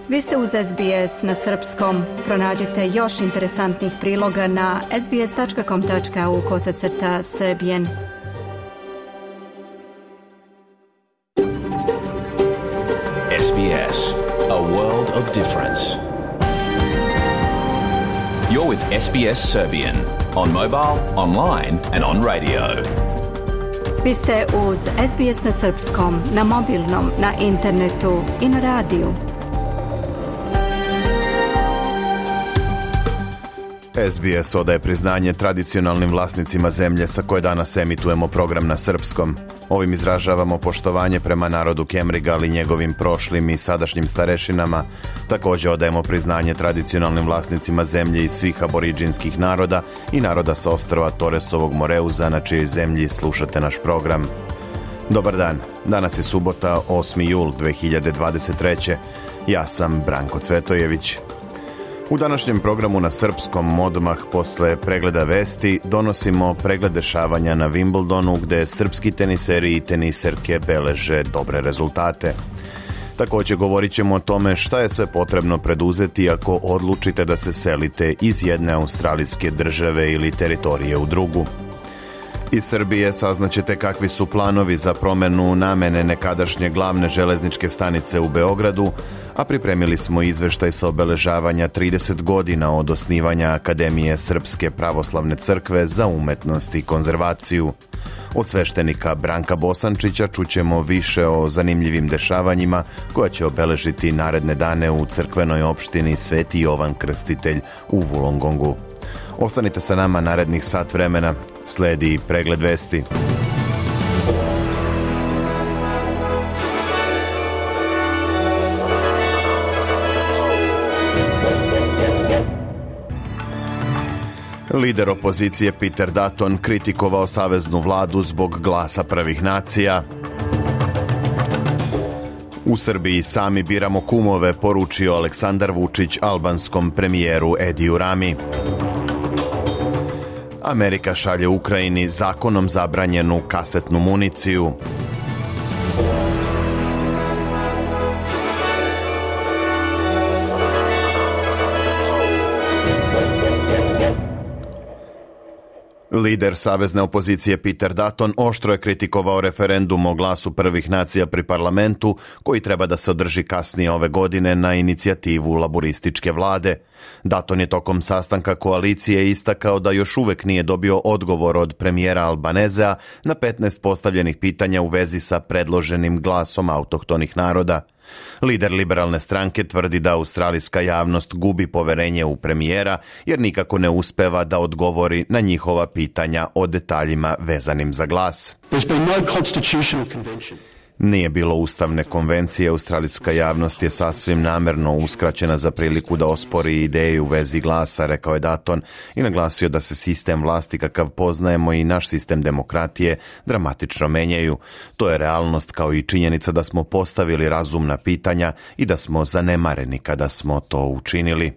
Vi ste uz SBS na srpskom. Pronađite još interesantnih priloga na sbs.com.au/serbian. SBS, a world of difference. You're with SBS Serbian on mobile, online and on radio. Vi ste uz SBS na srpskom, na mobilnom, na internetu i na radiju. SBS odaje priznanje tradicionalnim vlasnicima zemlje sa koje danas emitujemo program na srpskom. Ovim izražavamo poštovanje prema narodu Kemriga, ali njegovim prošlim i sadašnjim starešinama. Također odajemo priznanje tradicionalnim vlasnicima zemlje i svih aboriđinskih naroda i naroda sa ostrva Toresovog Moreuza, na čijoj zemlji slušate naš program. Dobar dan, danas je subota, 8. jul 2023. Ja sam Branko Cvetojević. U današnjem programu na srpskom, odmah posle pregleda vesti, donosimo pregled dešavanja na Wimbledonu, gde srpski teniseri i teniserke beleže dobre rezultate. Također govorit ćemo o tome šta je sve potrebno preduzeti ako odlučite da se selite iz jedne australijske države ili teritorije u drugu. Iz Srbije saznaćete kakvi su planovi za promenu namene nekadašnje glavne železničke stanice u Beogradu, a pripremili smo izveštaj sa obeležavanja 30 godina od osnivanja Akademije Srpske pravoslavne crkve za umetnost i konzervaciju. Od sveštenika Branka Bosančića čućemo više o zanimljivim dešavanjima koja će obeležiti naredne dane u crkvenoj opštini Sveti Jovan Krstitelj u Wollongongu. Ostanite sa nama narednih sat vremena, sledi pregled vesti. Lider opozicije Peter Dutton kritikovao saveznu vladu zbog glasa prvih nacija. U Srbiji sami biramo kumove, poručio Aleksandar Vučić albanskom premijeru Ediju Rami. Amerika šalje Ukrajini zakonom zabranjenu kasetnu municiju. Lider savezne opozicije Peter Dutton oštro je kritikovao referendum o glasu prvih nacija pri parlamentu, koji treba da se održi kasnije ove godine na inicijativu laborističke vlade. Dutton je tokom sastanka koalicije istakao da još uvek nije dobio odgovor od premijera Albanezea na 15 postavljenih pitanja u vezi sa predloženim glasom autohtonih naroda. Lider liberalne stranke tvrdi da australijska javnost gubi poverenje u premijera jer nikako ne uspeva da odgovori na njihova pitanja o detaljima vezanim za glas. Nije bilo ustavne konvencije, australijska javnost je sasvim namerno uskraćena za priliku da ospori ideju u vezi glasa, rekao je Dutton i naglasio da se sistem vlasti kakav poznajemo i naš sistem demokratije dramatično menjaju. To je realnost kao i činjenica da smo postavili razumna pitanja i da smo zanemareni kada smo to učinili.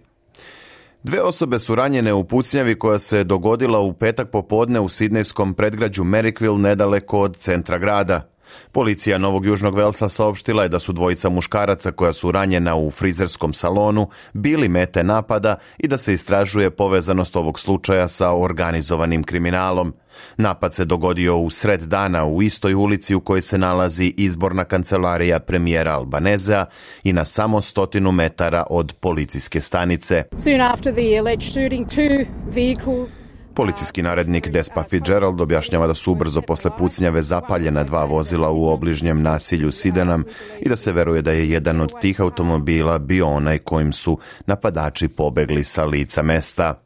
2 osobe su ranjene u pucnjavi koja se dogodila u petak popodne u sidnejskom predgrađu Marrickville nedaleko od centra grada. Policija Novog Južnog Velsa saopštila je da su 2 muškaraca koja su ranjena u frizerskom salonu bili mete napada i da se istražuje povezanost ovog slučaja sa organizovanim kriminalom. Napad se dogodio u sred dana u istoj ulici u kojoj se nalazi izborna kancelarija premijera Albanezea i na samo 100 metara od policijske stanice. Soon after the alleged shooting, 2 vehicles. Policijski narednik Despa Fitzgerald objašnjava da su ubrzo posle pucnjave zapaljena 2 vozila u obližnjem nasilju Sydenham i da se veruje da je jedan od tih automobila bio onaj kojim su napadači pobegli sa lica mesta.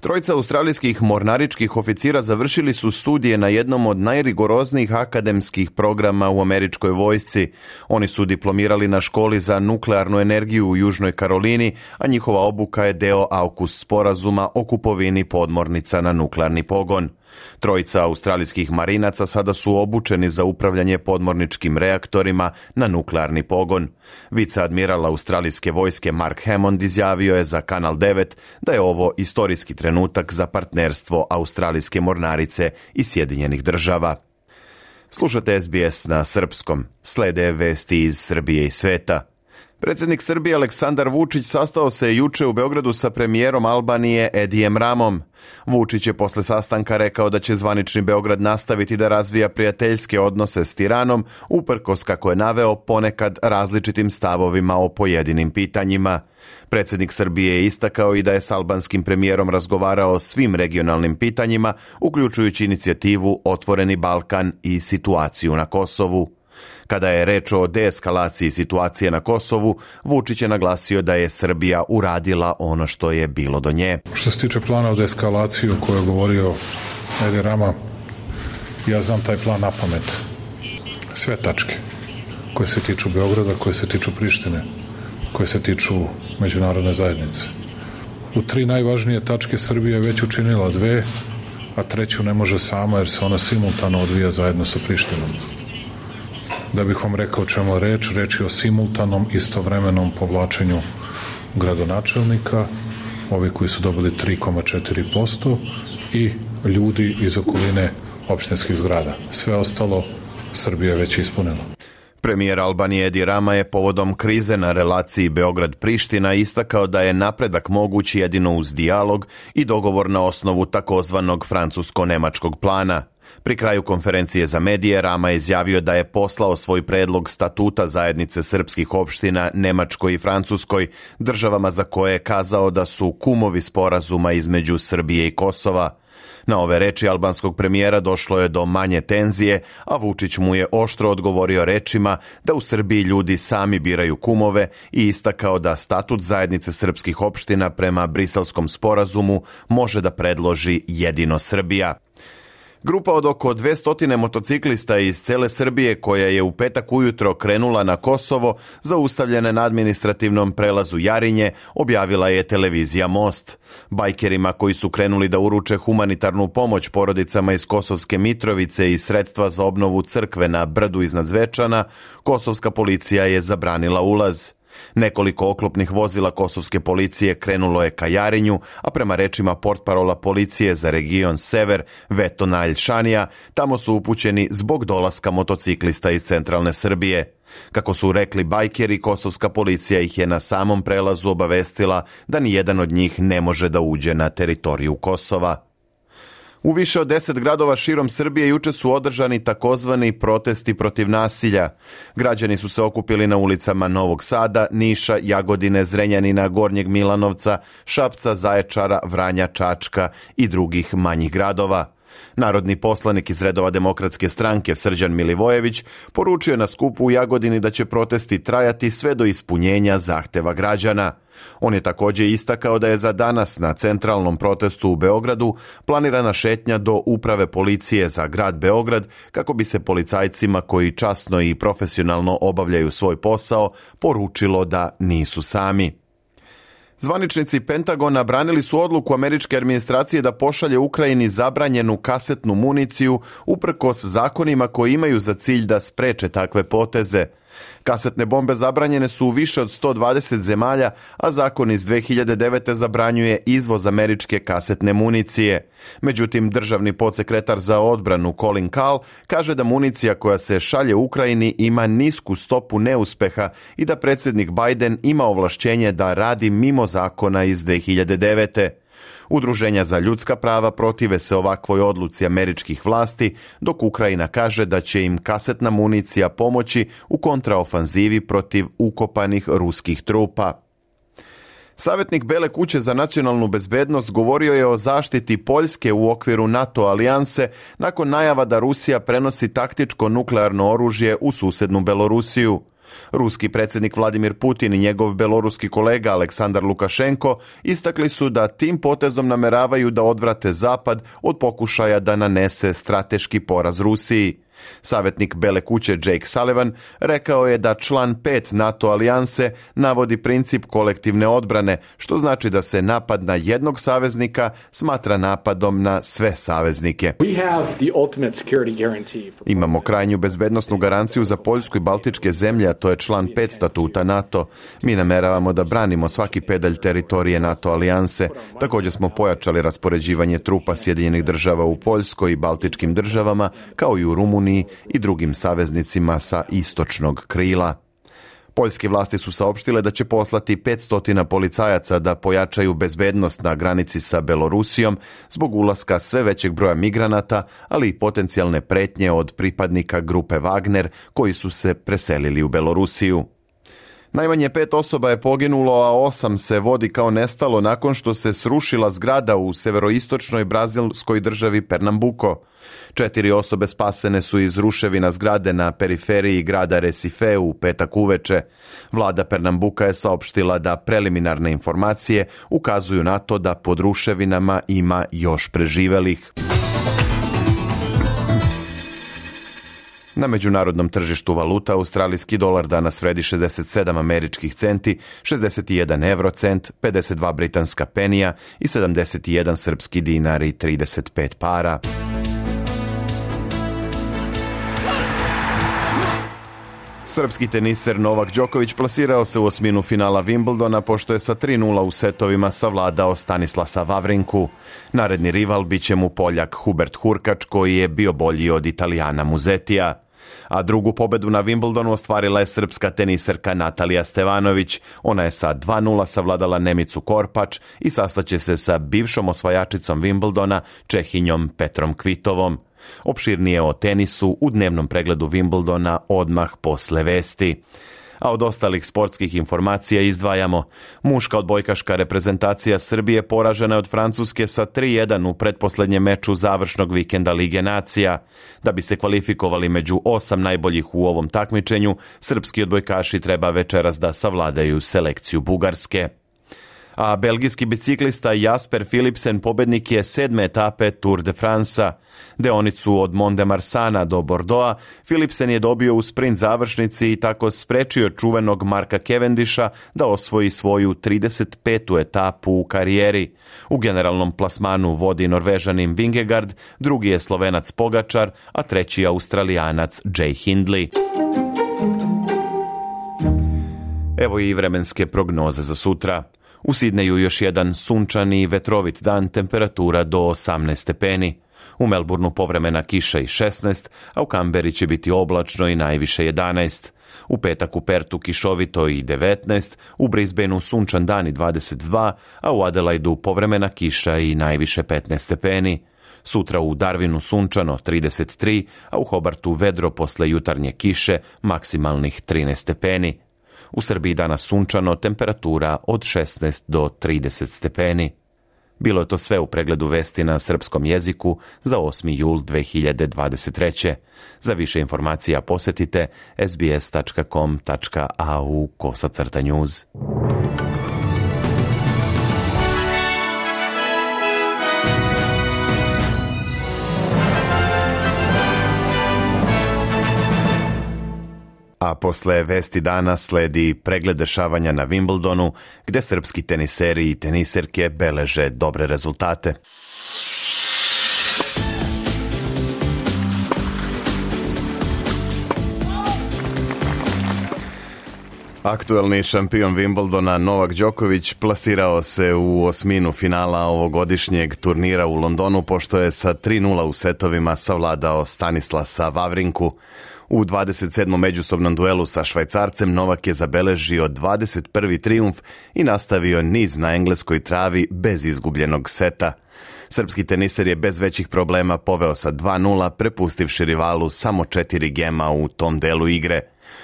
3 australijskih mornaričkih oficira završili su studije na jednom od najrigoroznijih akademskih programa u američkoj vojsci. Oni su diplomirali na školi za nuklearnu energiju u Južnoj Karolini, a njihova obuka je deo AUKUS sporazuma o kupovini podmornica na nuklearni pogon. 3 australijskih marinaca sada su obučeni za upravljanje podmorničkim reaktorima na nuklearni pogon. Viceadmiral australijske vojske Mark Hammond izjavio je za Kanal 9 da je ovo istorijski trenutak za partnerstvo australijske mornarice i Sjedinjenih država. Slušate SBS na srpskom. Slede vesti iz Srbije i sveta. Predsjednik Srbije Aleksandar Vučić sastao se juče u Beogradu sa premijerom Albanije Edijem Ramom. Vučić je posle sastanka rekao da će zvanični Beograd nastaviti da razvija prijateljske odnose s Tiranom, uprkos, kako je naveo, ponekad različitim stavovima o pojedinim pitanjima. Predsjednik Srbije je istakao i da je s albanskim premijerom razgovarao o svim regionalnim pitanjima, uključujući inicijativu Otvoreni Balkan i situaciju na Kosovu. Kada je reč o deeskalaciji situacije na Kosovu, Vučić je naglasio da je Srbija uradila ono što je bilo do nje. Što se tiče plana o deeskalaciji o kojoj je govorio Edi Rama, ja znam taj plan na pamet. Sve tačke koje se tiču Beograda, koje se tiču Prištine, koje se tiču međunarodne zajednice. U 3 najvažnije tačke Srbija je već učinila 2, a 3 ne može sama jer se ona simultano odvija zajedno sa Prištinom. Da bih vam rekao o čemu je reč je o simultanom istovremenom povlačenju gradonačelnika, ovi koji su dobili 3,4% i ljudi iz okoline opštinskih zgrada. Sve ostalo Srbija već ispunila. Premijer Albanije Edi Rama je povodom krize na relaciji Beograd-Priština istakao da je napredak moguć jedino uz dijalog i dogovor na osnovu takozvanog francusko-nemačkog plana. Pri kraju konferencije za medije Rama je izjavio da je poslao svoj predlog statuta zajednice srpskih opština Nemačkoj i Francuskoj, državama za koje je kazao da su kumovi sporazuma između Srbije i Kosova. Na ove reči albanskog premijera došlo je do manje tenzije, a Vučić mu je oštro odgovorio rečima da u Srbiji ljudi sami biraju kumove i istakao da statut zajednice srpskih opština prema Briselskom sporazumu može da predloži jedino Srbija. Grupa od oko 200 motociklista iz cele Srbije koja je u petak ujutro krenula na Kosovo, zaustavljena na administrativnom prelazu Jarinje, objavila je televizija Most. Bajkerima koji su krenuli da uruče humanitarnu pomoć porodicama iz Kosovske Mitrovice i sredstva za obnovu crkve na brdu iznad Zvečana, kosovska policija je zabranila ulaz. Nekoliko oklopnih vozila kosovske policije krenulo je ka Jarinju, a prema rečima portparola policije za region Sever, Vetona Aljšanija, tamo su upućeni zbog dolaska motociklista iz centralne Srbije. Kako su rekli bajkeri, kosovska policija ih je na samom prelazu obavestila da ni jedan od njih ne može da uđe na teritoriju Kosova. U više od 10 gradova širom Srbije juče su održani takozvani protesti protiv nasilja. Građani su se okupili na ulicama Novog Sada, Niša, Jagodine, Zrenjanina, Gornjeg Milanovca, Šapca, Zaječara, Vranja, Čačka i drugih manjih gradova. Narodni poslanik iz redova Demokratske stranke Srđan Milivojević poručio na skupu u Jagodini da će protesti trajati sve do ispunjenja zahteva građana. On je također istakao da je za danas na centralnom protestu u Beogradu planirana šetnja do uprave policije za grad Beograd kako bi se policajcima koji časno i profesionalno obavljaju svoj posao poručilo da nisu sami. Zvaničnici Pentagona branili su odluku američke administracije da pošalje Ukrajini zabranjenu kasetnu municiju uprkos zakonima koji imaju za cilj da spreče takve poteze. Kasetne bombe zabranjene su u više od 120 zemalja, a zakon iz 2009. zabranjuje izvoz američke kasetne municije. Međutim, državni podsekretar za odbranu Colin Kahl kaže da municija koja se šalje Ukrajini ima nisku stopu neuspeha i da predsjednik Biden ima ovlašćenje da radi mimo zakona iz 2009. Udruženja za ljudska prava protive se ovakvoj odluci američkih vlasti, dok Ukrajina kaže da će im kasetna municija pomoći u kontraofanzivi protiv ukopanih ruskih trupa. Savjetnik Bele kuće za nacionalnu bezbednost govorio je o zaštiti Poljske u okviru NATO alijanse nakon najava da Rusija prenosi taktičko nuklearno oružje u susednu Belorusiju. Ruski predsjednik Vladimir Putin i njegov beloruski kolega Aleksandar Lukašenko istakli su da tim potezom nameravaju da odvrate Zapad od pokušaja da nanese strateški poraz Rusiji. Savjetnik Bele kuće Jake Sullivan rekao je da član 5 NATO alijanse navodi princip kolektivne odbrane, što znači da se napad na jednog saveznika smatra napadom na sve saveznike. Imamo krajnju bezbednosnu garanciju za Poljsku i Baltičke zemlje, a to je član 5 statuta NATO. Mi nameravamo da branimo svaki pedalj teritorije NATO alijanse. Također smo pojačali raspoređivanje trupa Sjedinjenih država u Poljskoj i Baltičkim državama, kao i u Rumuniji i drugim saveznicima sa istočnog krila. Poljske vlasti su saopštile da će poslati 500 policajaca da pojačaju bezbednost na granici sa Belorusijom zbog ulaska sve većeg broja migranata, ali i potencijalne pretnje od pripadnika grupe Wagner koji su se preselili u Belorusiju. Najmanje 5 osoba je poginulo, a 8 se vodi kao nestalo nakon što se srušila zgrada u severoistočnoj brazilskoj državi Pernambuco. 4 osobe spasene su iz ruševina zgrade na periferiji grada Recife u petak uveče. Vlada Pernambuka je saopštila da preliminarne informacije ukazuju na to da pod ruševinama ima još preživelih. Na međunarodnom tržištu valuta australijski dolar danas vredi 67 američkih centi, 61 eurocent, 52 britanska penija i 71 srpski dinar i 35 para. Srpski teniser Novak Đoković plasirao se u osminu finala Wimbledona pošto je sa 3:0 u setovima savladao Stanislasa Vavrinku. Naredni rival biće mu Poljak Hubert Hurkač koji je bio bolji od Italijana Muzetija. A drugu pobedu na Wimbledonu ostvarila je srpska teniserka Natalija Stevanović. Ona je sa 2:0 savladala Nemicu Korpač i sastaće se sa bivšom osvajačicom Wimbledona, Čehinjom Petrom Kvitovom. Opširnije o tenisu u dnevnom pregledu Wimbledona odmah posle vesti. A od ostalih sportskih informacija izdvajamo: muška odbojkaška reprezentacija Srbije poražena je od Francuske sa 3:1 u pretposlednjem meču završnog vikenda Lige nacija. Da bi se kvalifikovali među 8 najboljih u ovom takmičenju, srpski odbojkaši treba večeras da savladaju selekciju Bugarske. A belgijski biciklista Jasper Philipsen pobednik je 7. etape Tour de France-a. Deonicu od Mont de Marsana do Bordeauxa Philipsen je dobio u sprint završnici i tako sprečio čuvenog Marka Cavendisha da osvoji svoju 35. etapu u karijeri. U generalnom plasmanu vodi Norvežanin Vingegaard, drugi je Slovenac Pogačar, a treći Australijanac Jay Hindley. Evo i vremenske prognoze za sutra. U Sidneju još jedan sunčani i vetrovit dan, temperatura do 18 stepeni. U Melbourneu povremena kiša i 16, a u Kamberi će biti oblačno i najviše 11. U petak u Pertu kišovito i 19, u Brisbaneu sunčan dan i 22, a u Adelaidu povremena kiša i najviše 15 stepeni. Sutra u Darwinu sunčano 33, a u Hobartu vedro posle jutarnje kiše, maksimalnih 13 stepeni. U Srbiji danas sunčano, temperatura od 16 do 30 stepeni. Bilo je to sve u pregledu vesti na srpskom jeziku za 8. jul 2023. Za više informacija posetite sbs.com.au/news. A posle vesti dana sledi pregled dešavanja na Wimbledonu, gde srpski teniseri i teniserke beleže dobre rezultate. Aktuelni šampion Wimbledona Novak Đoković plasirao se u osminu finala ovogodišnjeg turnira u Londonu pošto je sa 3:0 u setovima savladao Stanislasa Vavrinku. U 27. međusobnom duelu sa Švajcarcem Novak je zabeležio 21. trijumf i nastavio niz na engleskoj travi bez izgubljenog seta. Srpski teniser je bez većih problema poveo sa 2:0, prepustivši rivalu samo 4 gema u tom delu igre.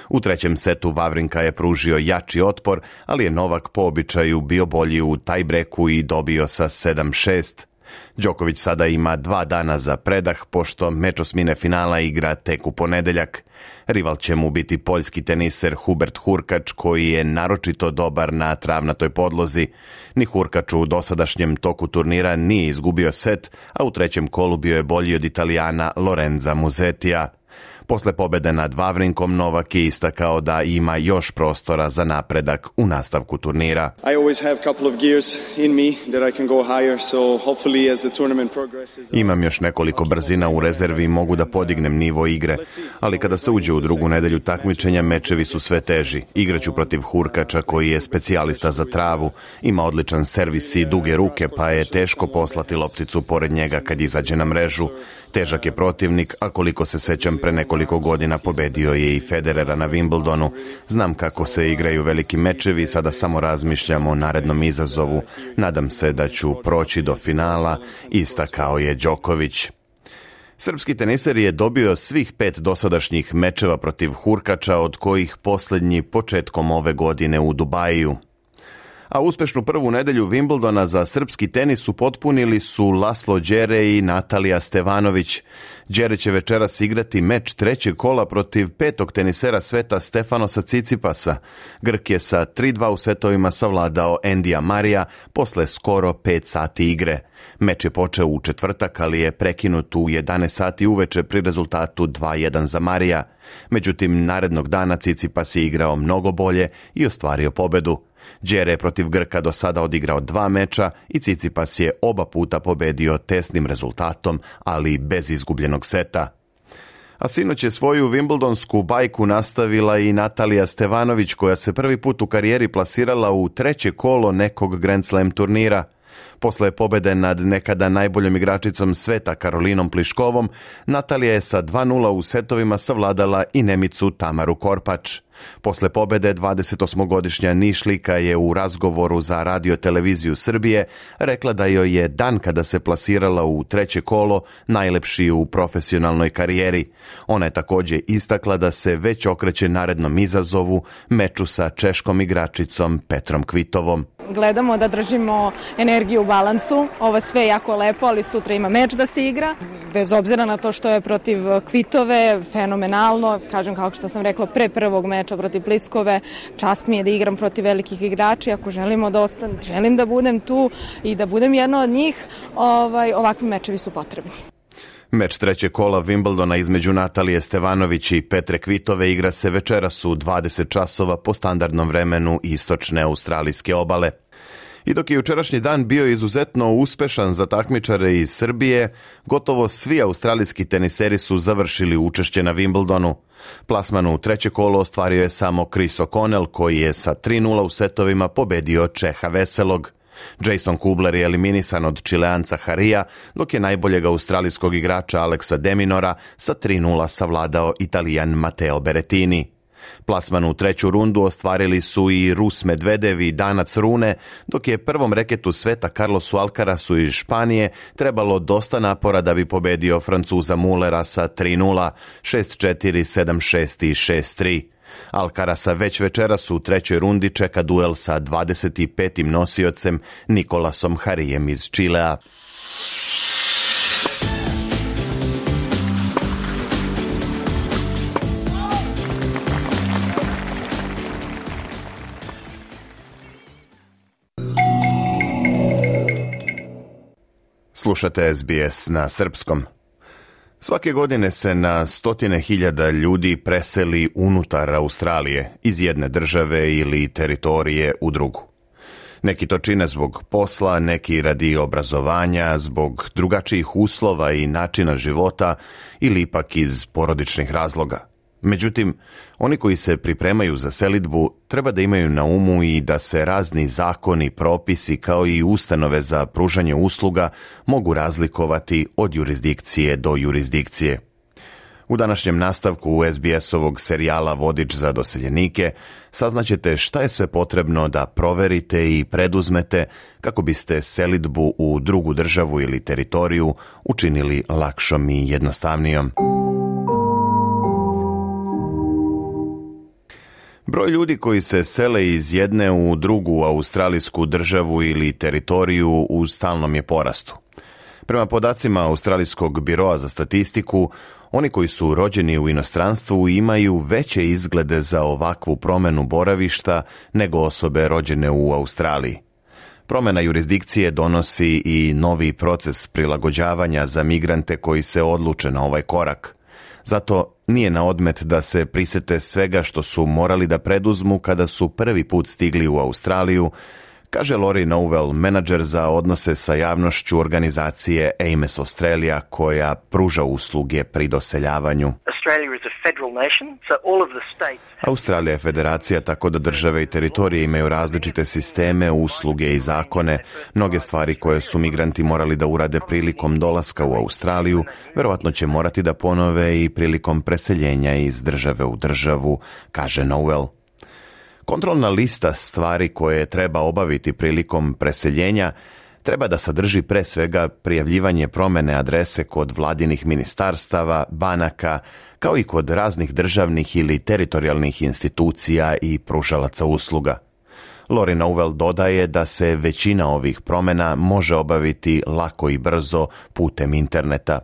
U trećem setu Vavrinka je pružio jači otpor, ali je Novak po običaju bio bolji u tajbreku i dobio sa 7:6. Đoković sada ima 2 dana za predah, pošto meč osmine finala igra tek u ponedeljak. Rival će mu biti poljski teniser Hubert Hurkač, koji je naročito dobar na travnatoj podlozi. Ni Hurkač u dosadašnjem toku turnira nije izgubio set, a u trećem kolu bio je bolji od Italijana Lorenza Musetija. Posle pobede nad Vavrinkom, Novak je istakao da ima još prostora za napredak u nastavku turnira. Imam još nekoliko brzina u rezervi i mogu da podignem nivo igre, ali kada se uđe u drugu nedelju takmičenja, mečevi su sve teži. Igraću protiv Hurkača koji je specijalista za travu, ima odličan servis i duge ruke, pa je teško poslati lopticu pored njega kad izađe na mrežu. Težak je protivnik, a koliko se sećam, pre nekoliko godina pobedio je i Federera na Wimbledonu. Znam kako se igraju veliki mečevi, sada samo razmišljam o narednom izazovu. Nadam se da ću proći do finala, istakao je Đoković. Srpski teniser je dobio svih 5 dosadašnjih mečeva protiv Hurkača, od kojih posljednji početkom ove godine u Dubaju. A uspešnu prvu nedelju Wimbledona za srpski tenis upotpunili su Laslo Đere i Natalija Stevanović. Đere će večeras igrati meč trećeg kola protiv 5. tenisera sveta Stefanosa Cicipasa. Grk je sa 3-2 u setovima savladao Endija Marija posle skoro 5 sati igre. Meč je počeo u četvrtak, ali je prekinut u 11 sati uveče pri rezultatu 2-1 za Marija. Međutim, narednog dana Cicipas je igrao mnogo bolje i ostvario pobedu. Đere je protiv Grka do sada odigrao 2 meča i Cicipas je oba puta pobedio tesnim rezultatom, ali bez izgubljenog seta. A sinoć je svoju wimbledonsku bajku nastavila i Natalija Stevanović, koja se prvi put u karijeri plasirala u treće kolo nekog Grand Slam turnira. Posle pobede nad nekada najboljom igračicom sveta Karolinom Pliškovom, Natalija je sa 2-0 u setovima savladala i Nemicu Tamaru Korpač. Posle pobede 28-godišnja Nišlika je u razgovoru za Radio televiziju Srbije rekla da joj je dan kada se plasirala u treće kolo najlepši u profesionalnoj karijeri. Ona je također istakla da se već okreće narednom izazovu, meču sa češkom igračicom Petrom Kvitovom. Gledamo da držimo energiju u balansu. Ovo sve je jako lepo, ali sutra ima meč da se igra. Bez obzira na to što je protiv Kvitove, fenomenalno. Kažem, kao što sam rekla, pre prvog meča protiv Pliskove, čast mi je da igram protiv velikih igrača. Ako želimo da želim da budem tu i da budem jedna od njih, ovakvi mečevi su potrebni. Meč trećeg kola Wimbledona između Natalije Stevanović i Petre Kvitove igra se večeras u 20 časova po standardnom vremenu istočne australijske obale. I dok je jučerašnji dan bio izuzetno uspešan za takmičare iz Srbije, gotovo svi australijski teniseri su završili učešće na Wimbledonu. Plasman u treće kolo ostvario je samo Chris O'Connell, koji je sa 3-0 u setovima pobedio Čeha Veselog. Jason Kubler je eliminisan od Čileanca Harija, dok je najboljeg australijskog igrača Aleksa Deminora sa 3-0 savladao Italijan Matteo Berrettini. Plasman u treću rundu ostvarili su i Rus Medvedev i Danac Rune, dok je prvom reketu sveta Carlosu Alcarazu iz Španije trebalo dosta napora da bi pobedio Francuza Mullera sa 3-0, 6-4, 7-6 i 6-3. Alcaraza već večeras u trećoj rundi čeka duel sa 25. nosiocem Nikolasom Harijem iz Čilea. Slušate SBS na srpskom. Svake godine se na stotine hiljada ljudi preseli unutar Australije, iz jedne države ili teritorije u drugu. Neki to čine zbog posla, neki radi obrazovanja, zbog drugačijih uslova i načina života ili ipak iz porodičnih razloga. Međutim, oni koji se pripremaju za selidbu treba da imaju na umu i da se razni zakoni, propisi kao i ustanove za pružanje usluga mogu razlikovati od jurisdikcije do jurisdikcije. U današnjem nastavku SBS-ovog serijala Vodič za doseljenike saznaćete šta je sve potrebno da proverite i preduzmete kako biste selidbu u drugu državu ili teritoriju učinili lakšom i jednostavnijom. Broj ljudi koji se sele iz jedne u drugu australijsku državu ili teritoriju u stalnom je porastu. Prema podacima Australijskog biroa za statistiku, oni koji su rođeni u inostranstvu imaju veće izglede za ovakvu promenu boravišta nego osobe rođene u Australiji. Promjena jurisdikcije donosi i novi proces prilagođavanja za migrante koji se odluče na ovaj korak. Zato nije na odmet da se prisete svega što su morali da preduzmu kada su prvi put stigli u Australiju, kaže Lori Nowell, menadžer za odnose sa javnošću organizacije Ames Australia, koja pruža usluge pri doseljavanju. Australija je federacija, tako da države i teritorije imaju različite sisteme, usluge i zakone. Mnoge stvari koje su migranti morali da urade prilikom dolaska u Australiju, verovatno će morati da ponove i prilikom preseljenja iz države u državu, kaže Nowell. Kontrolna lista stvari koje treba obaviti prilikom preseljenja treba da sadrži pre svega prijavljivanje promene adrese kod vladinih ministarstava, banaka, kao i kod raznih državnih ili teritorijalnih institucija i pružalaca usluga. Lori Nowell dodaje da se većina ovih promena može obaviti lako i brzo putem interneta.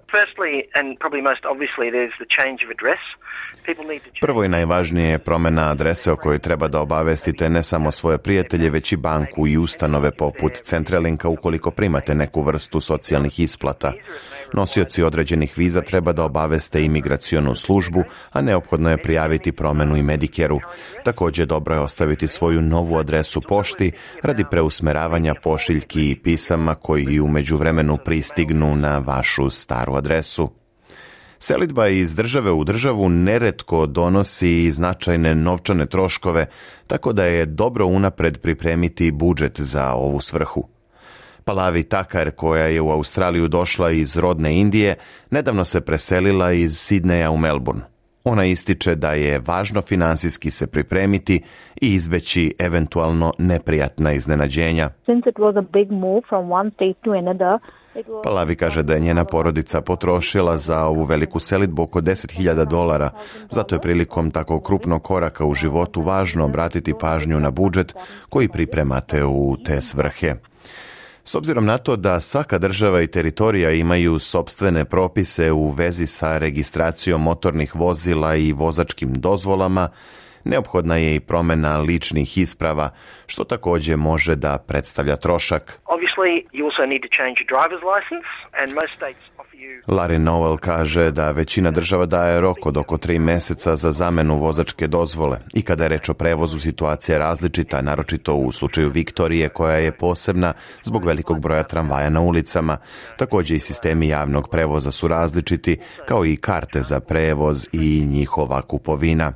Prvo i najvažnije je promena adrese o kojoj treba da obavestite ne samo svoje prijatelje, već i banku i ustanove poput Centralinka ukoliko primate neku vrstu socijalnih isplata. Nosioci određenih viza treba da obaveste imigracionu službu, a neophodno je prijaviti promenu i Medicare-u. Također dobro je ostaviti svoju novu adresu pošti radi preusmeravanja pošiljki i pisama koji u međuvremenu pristignu na vašu staru adresu. Selidba iz države u državu neretko donosi značajne novčane troškove, tako da je dobro unapred pripremiti budžet za ovu svrhu. Pallavi Thakkar, koja je u Australiju došla iz rodne Indije, nedavno se preselila iz Sidneja u Melbourne. Ona ističe da je važno finansijski se pripremiti i izbeći eventualno neprijatna iznenađenja. Pallavi kaže da je njena porodica potrošila za ovu veliku selidbu oko $10,000, zato je prilikom tako krupnog koraka u životu važno obratiti pažnju na budžet koji pripremate u te svrhe. S obzirom na to da svaka država i teritorija imaju sopstvene propise u vezi sa registracijom motornih vozila i vozačkim dozvolama, neophodna je i promjena ličnih isprava, što također može da predstavlja trošak. Lori Nowell kaže da većina država daje rok od oko 3 mjeseca za zamenu vozačke dozvole i kada je reč o prevozu situacija je različita, naročito u slučaju Viktorije koja je posebna zbog velikog broja tramvaja na ulicama. Također i sistemi javnog prevoza su različiti, kao i karte za prevoz i njihova kupovina.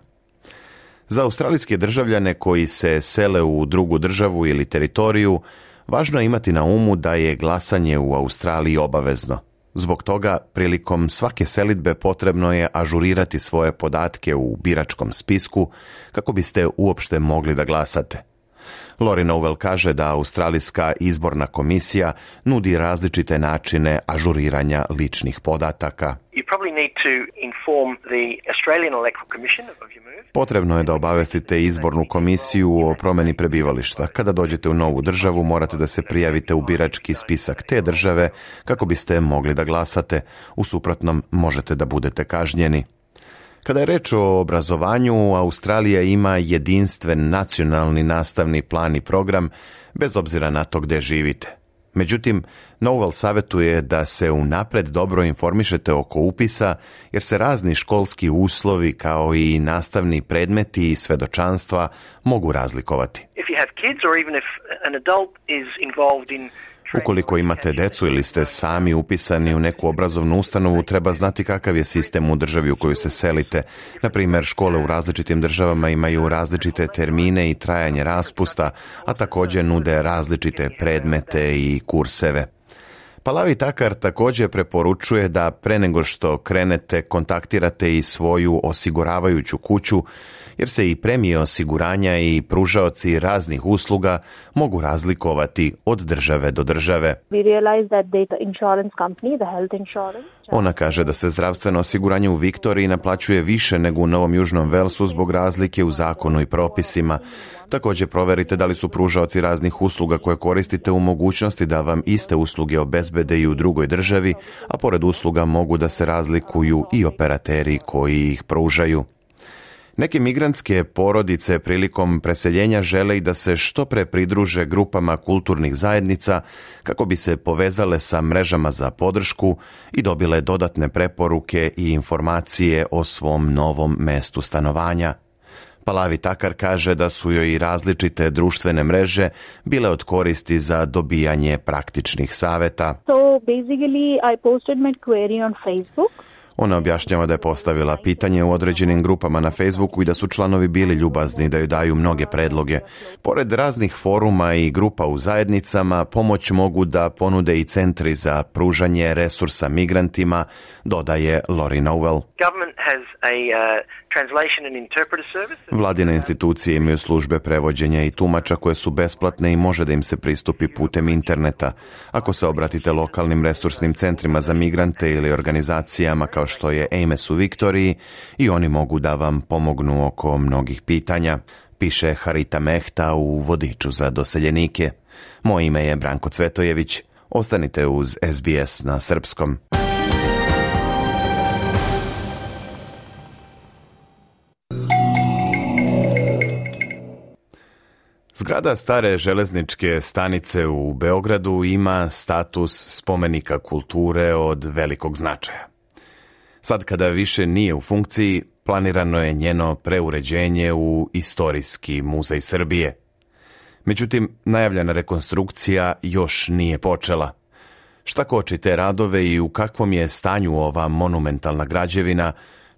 Za australijske državljane koji se sele u drugu državu ili teritoriju, važno je imati na umu da je glasanje u Australiji obavezno. Zbog toga, prilikom svake selidbe potrebno je ažurirati svoje podatke u biračkom spisku kako biste uopšte mogli da glasate. Lori Nowell kaže da Australijska izborna komisija nudi različite načine ažuriranja ličnih podataka. Potrebno je da obavestite izbornu komisiju o promjeni prebivališta. Kada dođete u novu državu, morate da se prijavite u birački spisak te države kako biste mogli da glasate. U suprotnom, možete da budete kažnjeni. Kada je reč o obrazovanju, Australija ima jedinstven nacionalni nastavni plan i program, bez obzira na to gde živite. Međutim, Nowell savjetuje da se unapred dobro informišete oko upisa, jer se razni školski uslovi kao i nastavni predmeti i svedočanstva mogu razlikovati. Ukoliko imate decu ili ste sami upisani u neku obrazovnu ustanovu, treba znati kakav je sistem u državi u koju se selite. Na primjer, škole u različitim državama imaju različite termine i trajanje raspusta, a također nude različite predmete i kurseve. Pallavi Thakkar također preporučuje da pre nego što krenete kontaktirate i svoju osiguravajuću kuću, jer se i premije osiguranja i pružaoci raznih usluga mogu razlikovati od države do države. Ona kaže da se zdravstveno osiguranje u Viktoriji naplaćuje više nego u Novom Južnom Velsu zbog razlike u zakonu i propisima. Također proverite da li su pružaoci raznih usluga koje koristite u mogućnosti da vam iste usluge obezbede i u drugoj državi, a pored usluga mogu da se razlikuju i operateri koji ih pružaju. Neke migrantske porodice prilikom preseljenja žele i da se što pre pridruže grupama kulturnih zajednica kako bi se povezale sa mrežama za podršku i dobile dodatne preporuke i informacije o svom novom mestu stanovanja. Palavi Takar kaže da su joj i različite društvene mreže bile od koristi za dobijanje praktičnih saveta. So basically I posted my query on Facebook. Ona objašnjava da je postavila pitanje u određenim grupama na Facebooku i da su članovi bili ljubazni da joj daju mnoge predloge. Pored raznih foruma i grupa u zajednicama, pomoć mogu da ponude i centri za pružanje resursa migrantima, dodaje Lori Nowell. Vladine institucije imaju službe prevođenja i tumača koje su besplatne i može da im se pristupi putem interneta. Ako se obratite lokalnim resursnim centrima za migrante ili organizacijama kao što je Ames u Viktoriji, i oni mogu da vam pomognu oko mnogih pitanja, piše Harita Mehta u vodiču za doseljenike. Moje ime je Branko Cvetojević. Ostanite uz SBS na srpskom. Zgrada stare železničke stanice u Beogradu ima status spomenika kulture od velikog značaja. Sad kada više nije u funkciji, planirano je njeno preuređenje u Istorijski muzej Srbije. Međutim, najavljena rekonstrukcija još nije počela. Šta koči te radove i u kakvom je stanju ova monumentalna građevina,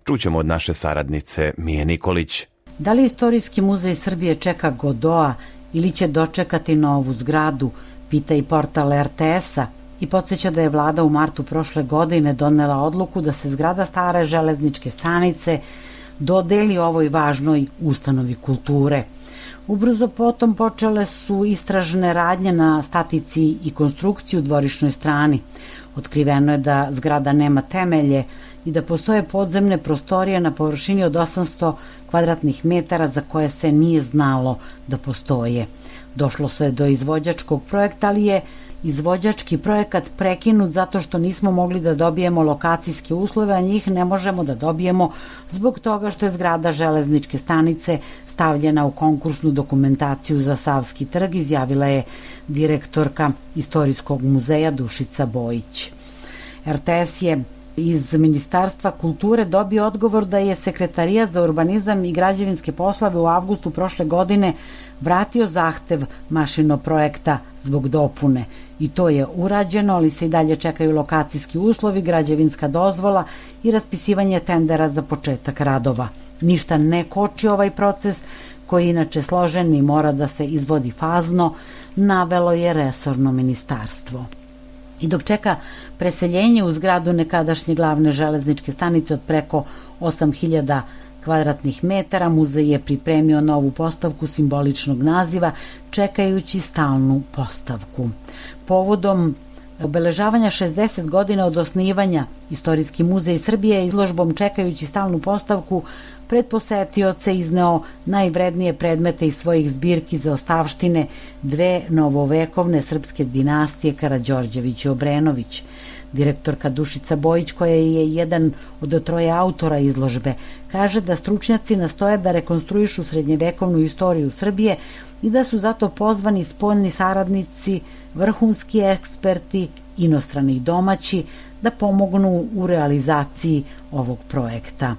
čućemo od naše saradnice Mije Nikolić. Da li Istorijski muzej Srbije čeka Godoa ili će dočekati novu zgradu, pita i portal RTS-a i podsjeća da je vlada u martu prošle godine donela odluku da se zgrada stare železničke stanice dodeli ovoj važnoj ustanovi kulture. Ubrzo potom počele su istražne radnje na statici i konstrukciji u dvorišnoj strani. Otkriveno je da zgrada nema temelje i da postoje podzemne prostorije na površini od 800 kvadratnih metara za koje se nije znalo da postoje. Došlo se do izvođačkog projekta, ali je izvođački projekat prekinut zato što nismo mogli da dobijemo lokacijske uslove, a njih ne možemo da dobijemo zbog toga što je zgrada železničke stanice stavljena u konkursnu dokumentaciju za Savski trg, izjavila je direktorka Istorijskog muzeja Dušica Bojić. RTS je iz Ministarstva kulture dobio odgovor da je Sekretarijat za urbanizam i građevinske poslove u avgustu prošle godine vratio zahtev Mašino projekta zbog dopune. I to je urađeno, ali se i dalje čekaju lokacijski uslovi, građevinska dozvola i raspisivanje tendera za početak radova. Ništa ne koči ovaj proces, koji je inače složen i mora da se izvodi fazno, navelo je resorno ministarstvo. I dok čeka preseljenje u zgradu nekadašnje glavne železničke stanice od preko 8000 kvadratnih metara, muzej je pripremio novu postavku simboličnog naziva, čekajući stalnu postavku. Povodom obeležavanja 60 godina od osnivanja Istorijski muzej Srbije izložbom čekajući stalnu postavku pred posetioce izneo najvrednije predmete iz svojih zbirki za ostavštine dve novovekovne srpske dinastije Karađorđević i Obrenović. Direktorka Dušica Bojić, koja je jedan od troje autora izložbe, kaže da stručnjaci nastoje da rekonstruišu srednjevekovnu istoriju Srbije i da su zato pozvani spoljni saradnici, vrhunski eksperti, inostrani i domaći, da pomognu u realizaciji ovog projekta.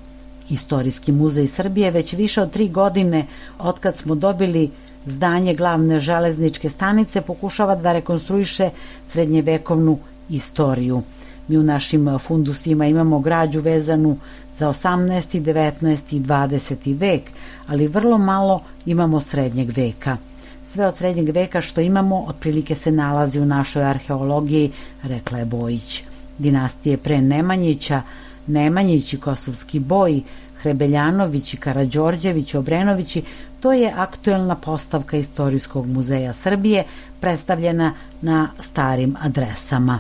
Istorijski muzej Srbije već više od 3 godine otkad smo dobili zdanje glavne železničke stanice pokušava da rekonstruiše srednjevekovnu istoriju. Mi u našim fundusima imamo građu vezanu za 18., 19. i 20. vek, ali vrlo malo imamo srednjeg veka. Sve od srednjeg veka što imamo otprilike se nalazi u našoj arheologiji, rekla je Bojić. Dinastije pre Nemanjića, Nemanjić i Kosovski boj, Hrebeljanović i Karađorđević i Obrenovići, to je aktuelna postavka Istorijskog muzeja Srbije, predstavljena na starim adresama.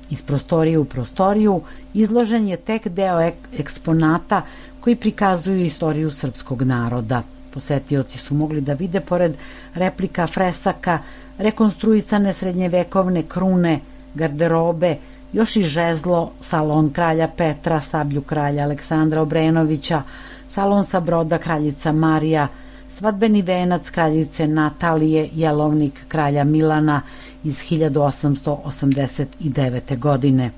Iz prostorije u prostoriju izložen je tek deo eksponata koji prikazuju istoriju srpskog naroda. Posetioci su mogli da vide pored replika fresaka, rekonstruisane srednjevekovne krune, garderobe, još i žezlo, salon kralja Petra, sablju kralja Aleksandra Obrenovića, salon sa broda kraljica Marija, svadbeni venac kraljice Natalije, jelovnik kralja Milana iz 1889. godine.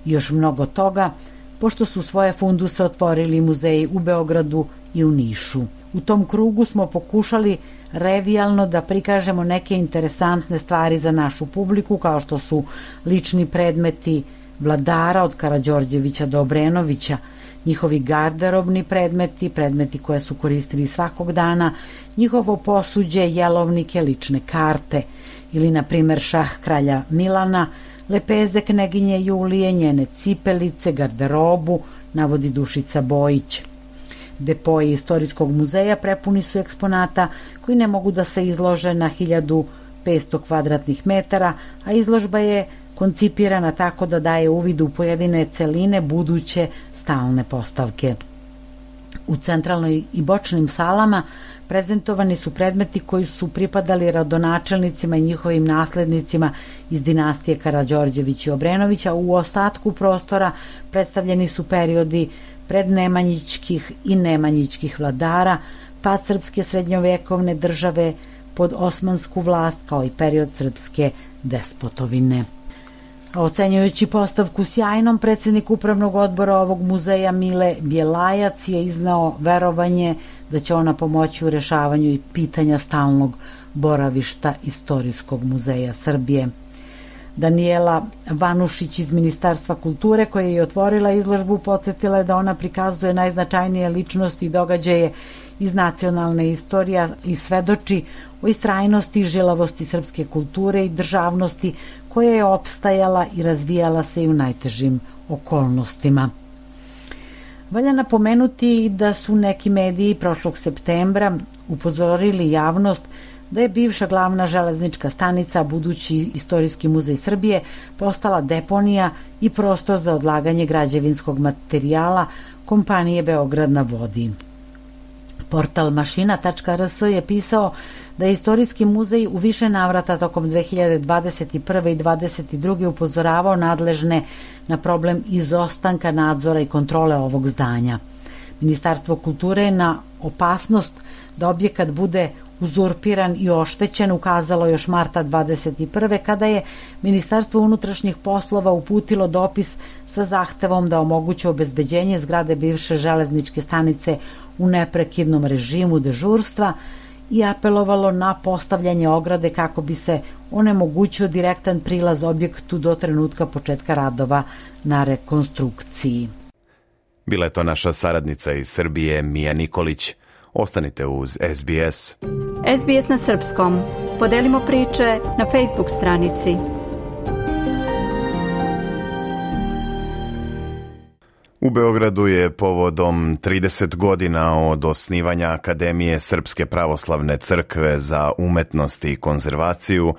I još mnogo toga, pošto su svoje funduse otvorili muzeji u Beogradu i u Nišu. U tom krugu smo pokušali revijalno da prikažemo neke interesantne stvari za našu publiku, kao što su lični predmeti vladara od Karađorđevića do Obrenovića, njihovi garderobni predmeti, predmeti koje su koristili svakog dana, njihovo posuđe, jelovnike, lične karte ili, na primer, šah kralja Milana, lepeze kneginje Julije, njene cipelice, garderobu, navodi Dušica Bojić. Depoji Istorijskog muzeja prepuni su eksponata koji ne mogu da se izlože na 1500 kvadratnih metara, a izložba je koncipirana tako da daje uvid u pojedine celine buduće stalne postavke. U centralnoj i bočnim salama prezentovani su predmeti koji su pripadali rodonačelnicima i njihovim naslednicima iz dinastije Karađorđević i Obrenović, a u ostatku prostora predstavljeni su periodi prednemanjićkih i nemanjićkih vladara, pad srpske srednjovekovne države pod osmansku vlast, kao i period srpske despotovine. Ocenjujući postavku sjajnom, predsjednik upravnog odbora ovog muzeja Mile Bjelajac je iznao verovanje da će ona pomoći u rešavanju i pitanja stalnog boravišta Istorijskog muzeja Srbije. Daniela Vanušić iz Ministarstva kulture, koja je otvorila izložbu, podsjetila je da ona prikazuje najznačajnije ličnosti i događaje iz nacionalne istorije i svedoči o istrajnosti i žilavosti srpske kulture i državnosti koja je opstajala i razvijala se i u najtežim okolnostima. Valja napomenuti da su neki mediji prošlog septembra upozorili javnost da je bivša glavna železnička stanica, budući Istorijski muzej Srbije, postala deponija i prostor za odlaganje građevinskog materijala kompanije Beograd na vodi. Portal mašina.rs je pisao da je Istorijski muzej u više navrata tokom 2021. i 2022. upozoravao nadležne na problem izostanka nadzora i kontrole ovog zdanja. Ministarstvo kulture je na opasnost da objekat bude uzurpiran i oštećen ukazalo još marta 2021. kada je Ministarstvo unutrašnjih poslova uputilo dopis sa zahtevom da omogući obezbeđenje zgrade bivše železničke stanice u neprekidnom režimu dežurstva i apelovalo na postavljanje ograde kako bi se onemogućio direktan prilaz objektu do trenutka početka radova na rekonstrukciji. Bila je to naša saradnica iz Srbije, Mija Nikolić. Ostanite uz SBS. SBS na srpskom. Podelimo priče na Facebook stranici. U Beogradu je povodom 30 godina od osnivanja Akademije Srpske pravoslavne crkve za umetnost i konzervaciju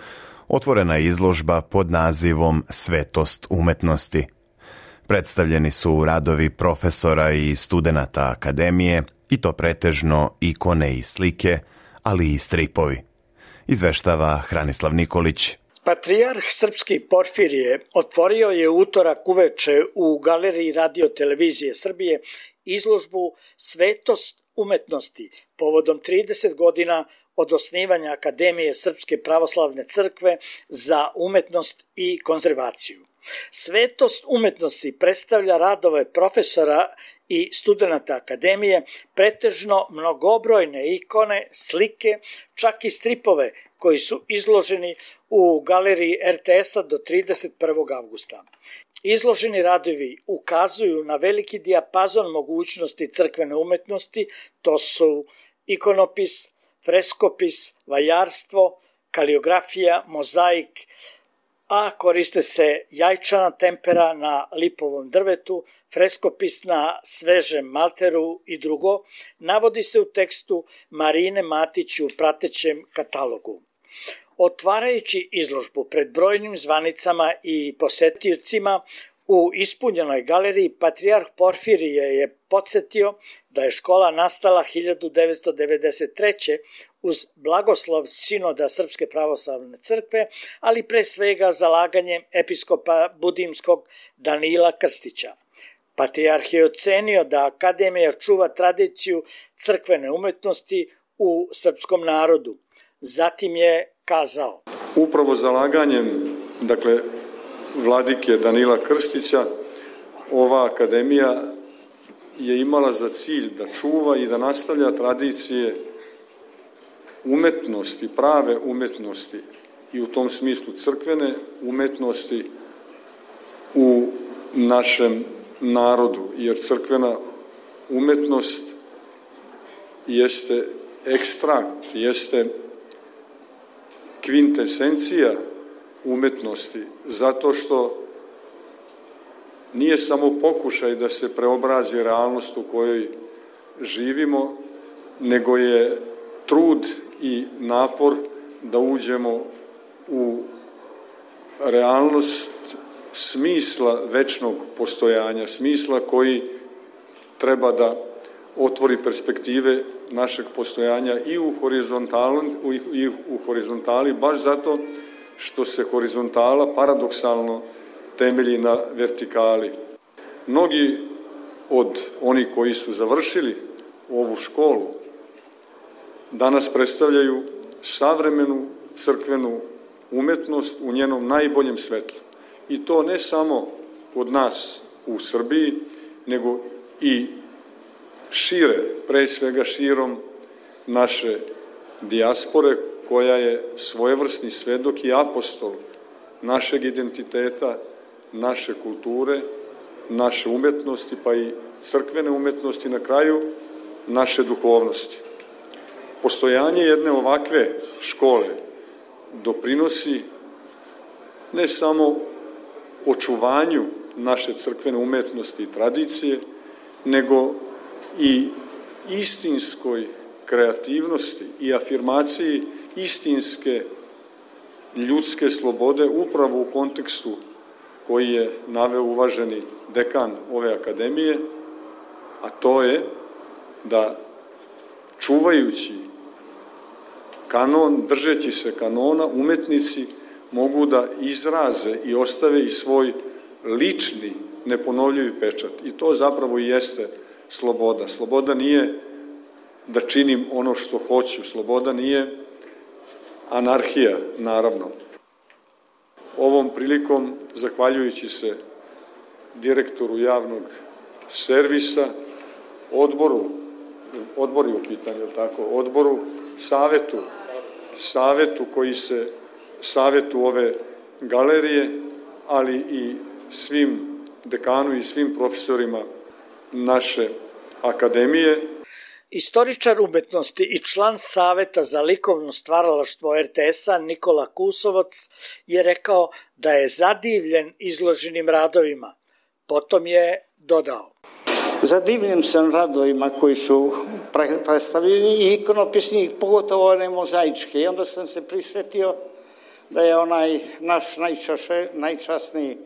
otvorena izložba pod nazivom Svetost umetnosti. Predstavljeni su radovi profesora i studenata Akademije, i to pretežno ikone i slike, ali i stripovi. Izveštava Hranislav Nikolić. Patrijarh Srpski Porfirije otvorio je utorak uveče u Galeriji Radio-televizije Srbije izložbu Svetost umetnosti povodom 30 godina od osnivanja Akademije Srpske pravoslavne crkve za umetnost i konzervaciju. Svetost umetnosti predstavlja radove profesora i studenata Akademije, pretežno mnogobrojne ikone, slike, čak i stripove koji su izloženi u galeriji RTS-a do 31. avgusta. Izloženi radovi ukazuju na veliki dijapazon mogućnosti crkvene umetnosti, to su ikonopis, freskopis, vajarstvo, kaligrafija, mozaik, a koriste se jajčana tempera na lipovom drvetu, freskopis na svežem malteru i drugo, navodi se u tekstu Marine Matić u pratećem katalogu. Otvarajući izložbu pred brojnim zvanicama i posetiocima u ispunjenoj galeriji, Patrijarh Porfirije je podsjetio da je škola nastala 1993. uz blagoslov Sinoda Srpske pravoslavne crkve, ali pre svega zalaganjem episkopa Budimskog Danila Krstića. Patrijarh je ocenio da Akademija čuva tradiciju crkvene umetnosti u srpskom narodu. Zatim je kazao: upravo zalaganjem, vladike Danila Krstića, ova akademija je imala za cilj da čuva i da nastavlja tradicije umetnosti, prave umetnosti i u tom smislu crkvene umetnosti u našem narodu, jer crkvena umetnost jeste ekstrakt, jeste kvintesencija umetnosti, zato što nije samo pokušaj da se preobrazi realnost u kojoj živimo, nego je trud i napor da uđemo u realnost smisla večnog postojanja, smisla koji treba da otvori perspektive našeg postojanja i u horizontali, baš zato što se horizontala paradoksalno temelji na vertikali. Mnogi od onih koji su završili ovu školu danas predstavljaju savremenu crkvenu umetnost u njenom najboljem svetlu. I to ne samo kod nas u Srbiji, nego i šire, pre svega širom naše dijaspore, koja je svojevrsni svedok i apostol našeg identiteta, naše kulture, naše umetnosti, pa i crkvene umetnosti, na kraju naše duhovnosti. Postojanje jedne ovakve škole doprinosi ne samo očuvanju naše crkvene umetnosti i tradicije, nego i istinskoj kreativnosti i afirmaciji istinske ljudske slobode upravo u kontekstu koji je naveo uvaženi dekan ove akademije, a to je da čuvajući kanon, držeći se kanona, umetnici mogu da izraze i ostave i svoj lični neponovljivi pečat. I to zapravo i jeste sloboda. Sloboda nije da činim ono što hoću. Sloboda nije anarhija, naravno. Ovom prilikom, zahvaljujući se direktoru javnog servisa, odbor je u pitanju, tako, odboru, savetu koji se, savetu ove galerije, ali i svim dekanu i svim profesorima naše akademije. Istoričar umetnosti i član Saveta za likovno stvaralaštvo RTS-a Nikola Kusovac je rekao da je zadivljen izloženim radovima. Potom je dodao: Zadivljen sam radovima koji su predstavljeni i ikonopisnih, pogotovo one mozaičke. I onda sam se prisetio da je onaj naš najčasniji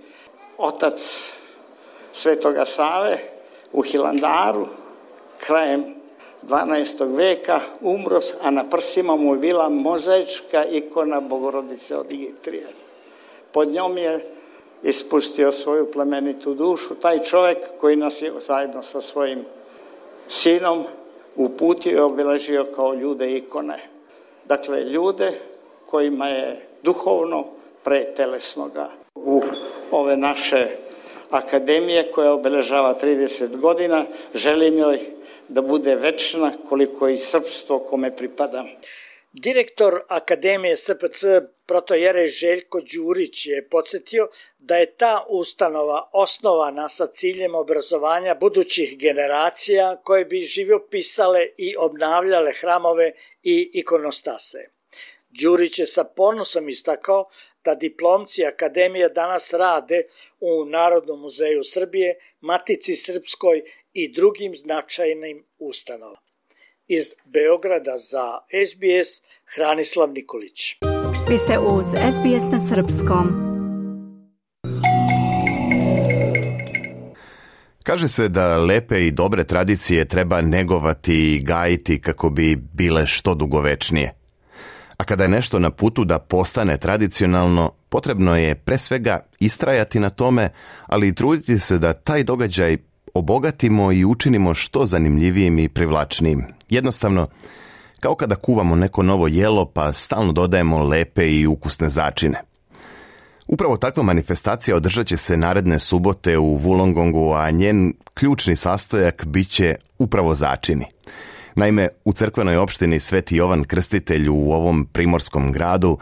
otac Svetoga Save u Hilandaru krajem 12. veka umro, a na prsima mu je bila mozaička ikona Bogorodice od Igitrije. Pod njom je ispustio svoju plemenitu dušu taj čovjek koji nas je zajedno sa svojim sinom uputio i obeležio kao ljude ikone. Dakle, ljude kojima je duhovno pre telesnoga. U ove naše akademije koja obeležava 30 godina, želim joj da bude večna koliko i srpstvo kome pripada. Direktor Akademije SPC protojerej Željko Đurić je podsjetio da je ta ustanova osnovana sa ciljem obrazovanja budućih generacija koje bi živopisale i obnavljale hramove i ikonostase. Đurić je sa ponosom istakao da diplomci Akademije danas rade u Narodnom muzeju Srbije, Matici Srpskoj i drugim značajnim ustanovama. Iz Beograda za SBS, Hranislav Nikolić. Vi ste uz SBS na srpskom. Kaže se da lepe i dobre tradicije treba negovati i gajiti kako bi bile što dugovečnije. A kada je nešto na putu da postane tradicionalno, potrebno je pre svega istrajati na tome, ali i truditi se da taj događaj obogatimo i učinimo što zanimljivijim i privlačnijim. Jednostavno, kao kada kuvamo neko novo jelo pa stalno dodajemo lepe i ukusne začine. Upravo takva manifestacija održat će se naredne subote u Wollongongu, a njen ključni sastojak bit će upravo začini. Naime, u crkvenoj opštini Sveti Jovan Krstitelj u ovom primorskom gradu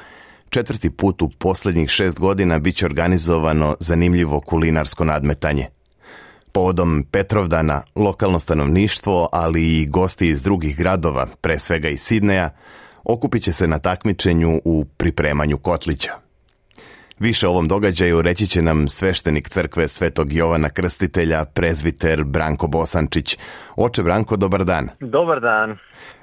4. put u posljednjih 6 godina bit će organizovano zanimljivo kulinarsko nadmetanje. Povodom Petrovdana, lokalno stanovništvo, ali i gosti iz drugih gradova, pre svega iz Sidneja, okupit će se na takmičenju u pripremanju kotlića. Više o ovom događaju reći će nam sveštenik crkve Svetog Jovana Krstitelja, prezviter Branko Bosančić. Oče Branko, dobar dan. Dobar dan.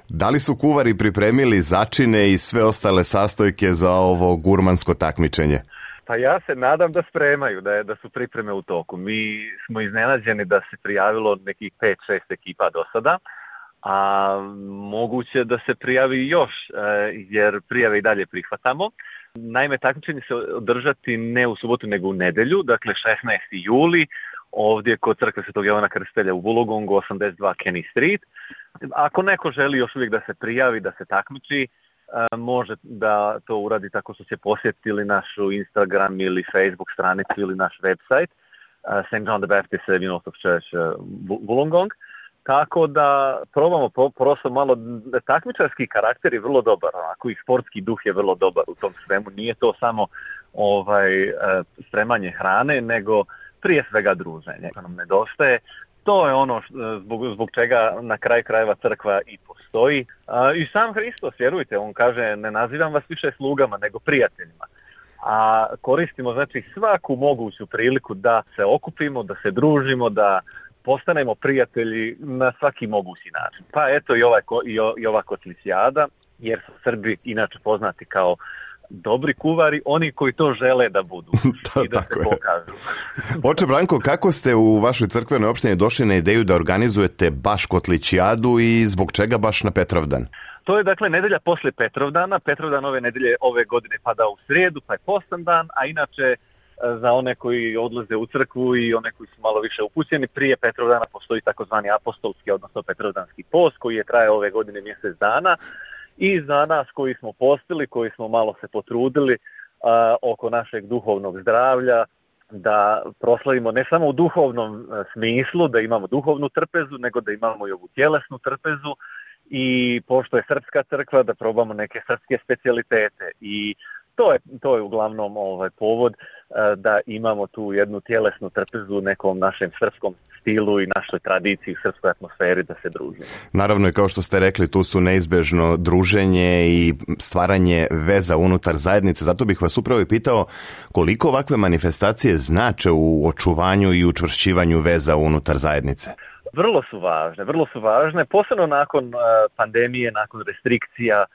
Da li su kuvari pripremili začine i sve ostale sastojke za ovo gurmansko takmičenje? Pa ja se nadam da spremaju, da su pripreme u toku. Mi smo iznenađeni da se prijavilo nekih 5-6 ekipa do sada, a moguće da se prijavi još, jer prijave i dalje prihvatamo. Naime, takmičenje se održati ne u subotu nego u nedelju, dakle 16. juli, ovdje kod crkve Svetog Jovana Krstitelja u Wollongongu 82 Kenny Street. Ako neko želi još uvijek da se prijavi, da se takmiči, može da to uradi tako što će posjetiti našu Instagram ili Facebook stranicu ili naš website St. John the Baptist United Church Wollongong. Tako da probamo prosto malo, takmičarski karakter je vrlo dobar, onako i sportski duh je vrlo dobar u tom svemu. Nije to samo spremanje hrane, nego prije svega druženje. To nam nedostaje. To je ono zbog čega na kraju krajeva crkva i postoji. I sam Hristos, vjerujte, on kaže, ne nazivam vas više slugama, nego prijateljima. A koristimo znači svaku moguću priliku da se okupimo, da se družimo, da postanemo prijatelji na svaki mogući način. Pa eto i ova kotlićijada, jer su Srbi inače poznati kao dobri kuvari, oni koji to žele da budu i da se pokažu. Oče Branko, kako ste u vašoj crkvenoj opštini došli na ideju da organizujete baš kotlićijadu i zbog čega baš na Petrovdan? To je dakle nedelja posle Petrovdana. Petrovdan ove nedelje ove godine pada u srijedu, pa je postan dan, a inače za one koji odlaze u crkvu i one koji su malo više upućeni, prije Petrovdana postoji takozvani apostolski, odnosno Petrovdanski post koji je traje ove godine mjesec dana. I za nas koji smo postili, koji smo malo se potrudili oko našeg duhovnog zdravlja, da proslavimo ne samo u duhovnom smislu, da imamo duhovnu trpezu, nego da imamo i ovu tjelesnu trpezu. I pošto je srpska crkva, da probamo neke srpske specijalitete. I to je uglavnom povod da imamo tu jednu tjelesnu trpezu u nekom našem srpskom stilu i našoj tradiciji, srpskoj atmosferi da se družimo. Naravno i kao što ste rekli, tu su neizbežno druženje i stvaranje veza unutar zajednice. Zato bih vas upravo i pitao koliko ovakve manifestacije znače u očuvanju i učvršćivanju veza unutar zajednice. Vrlo su važne, posebno nakon pandemije, nakon restrikcija.